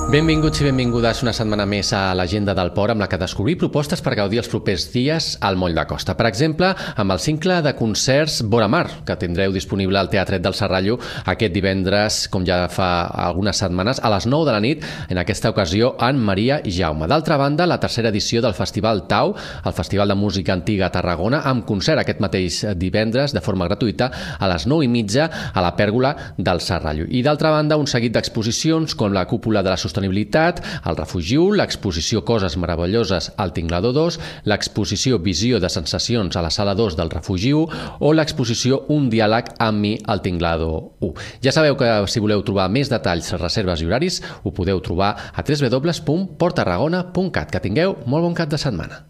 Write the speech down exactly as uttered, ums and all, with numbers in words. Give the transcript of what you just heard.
Benvinguts i benvingudes una setmana més a l'Agenda del Port, amb la que descobrir propostes per gaudir els propers dies al Moll de Costa. Per exemple, amb el cicle de concerts Vora Mar, que tindreu disponible al Teatret del Serrallo aquest divendres, com ja fa algunes setmanes, a les nou de la nit, en aquesta ocasió en Maria Jaume. D'altra banda, la tercera edició del Festival Tau, el Festival de Música Antiga a Tarragona, amb concert aquest mateix divendres de forma gratuïta a les nou i mitja a la Pèrgola del Serrallo. I d'altra banda, un seguit d'exposicions com la Cúpula de la Sostenibilitat, el Refugi u, l'exposició Coses Meravelloses al Tinglador dos, l'exposició Visió de Sensacions a la Sala dos del Refugi u o l'exposició Un diàleg amb mi al Tinglador u. Ja sabeu que si voleu trobar més detalls, reserves i horaris, ho podeu trobar a w w w punt port tarragona punt cat. Que tingueu molt bon cap de setmana.